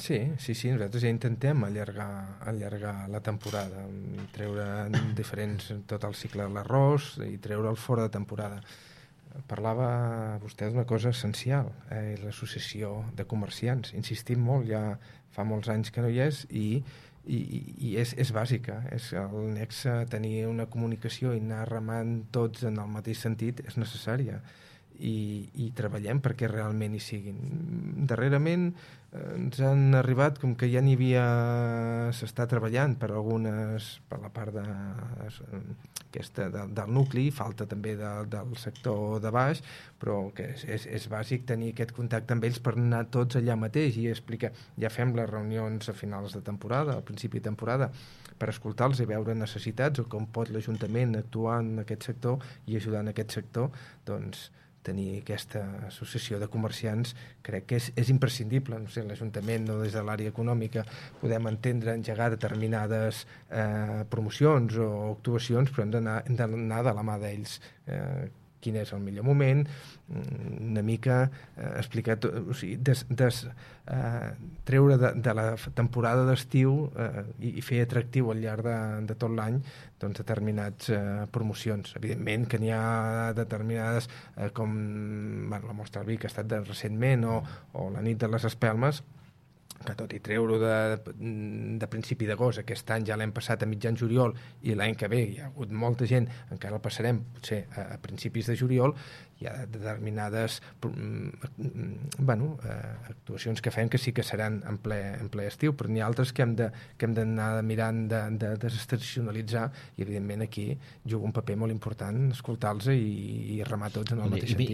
Sí, nosaltres ja intentem allargar la temporada, treure tot el cicle de l'arròs i treure'l fora de temporada. Parlava vostè d'una cosa essencial, l'associació de comerciants. Insistim molt, ja fa molts anys que no hi és, i és bàsica. El nexe, tenir una comunicació i anar remant tots en el mateix sentit és necessària. I treballem perquè realment hi siguin. Darrerament ens han arribat, com que ja s'està treballant per la part del nucli, falta també del sector de baix, però que és bàsic tenir aquest contacte amb ells per anar tots allà mateix i explicar. Ja fem les reunions a finals de temporada, al principi de temporada, per escoltar-los i veure necessitats o com pot l'Ajuntament actuar en aquest sector i ajudar en aquest sector. Doncs tenir aquesta associació de comerciants crec que és imprescindible. No sé, l'Ajuntament o des de l'àrea econòmica podem entendre engegar determinades promocions o actuacions, però hem d'anar de la mà d'ells. Quin és el millor moment, una mica explicar tot, o sigui, treure de la temporada d'estiu i fer atractiu al llarg de tot l'any doncs, determinats promocions. Evidentment que n'hi ha determinades com la Mostra del Vi, que ha estat recentment, o la Nit de les Espelmes, que tot i treure-ho de principi d'agost, aquest any ja l'hem passat a mitjan juliol i l'any que ve hi ha hagut molta gent, encara el passarem potser a principis de juliol, hi ha determinades actuacions que fem que sí que seran en ple estiu, però n'hi ha altres que hem d'anar mirant de desestacionalitzar, i evidentment aquí juga un paper molt important escoltar-los i remar tots en el mateix sentit.